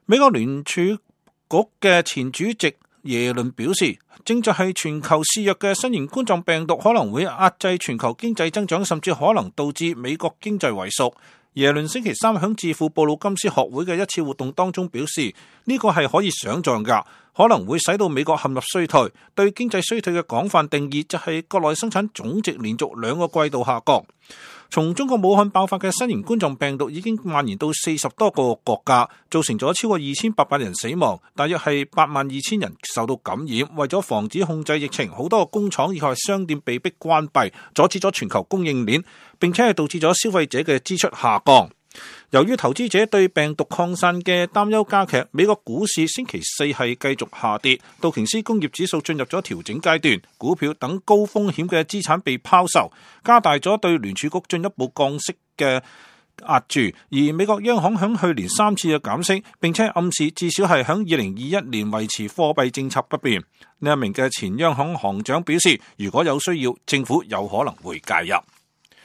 美國聯儲局嘅前主席耶倫表示，正在係全球肆虐嘅新型冠狀病毒可能會壓制全球經濟增長，甚至可能導致美國經濟萎縮。耶倫星期三響智庫布魯金斯學會嘅一次活動當中表示，呢個係可以想象㗎，可能會使到美國陷入衰退。對經濟衰退嘅廣泛定義就係國內生產總值連續2個季度下降。從中國武漢爆發嘅新型冠狀病毒已經蔓延到40多個國家，造成咗超過2800人死亡，大約係82000人受到感染。為咗防止控制疫情，好多個工廠以及商店被迫關閉，阻止咗全球供應鏈，並且係導致咗消費者嘅支出下降。由於投資者對病毒擴散嘅擔憂加劇，美國股市星期四係繼續下跌，道瓊斯工業指數進入咗調整階段，股票等高風險嘅資產被拋售，加大咗對聯儲局進一步降息嘅壓住。而美國央行響去年3次嘅減息，並且暗示至少係響2021年維持貨幣政策不變。呢一名嘅前央行行長表示，如果有需要，政府有可能會介入。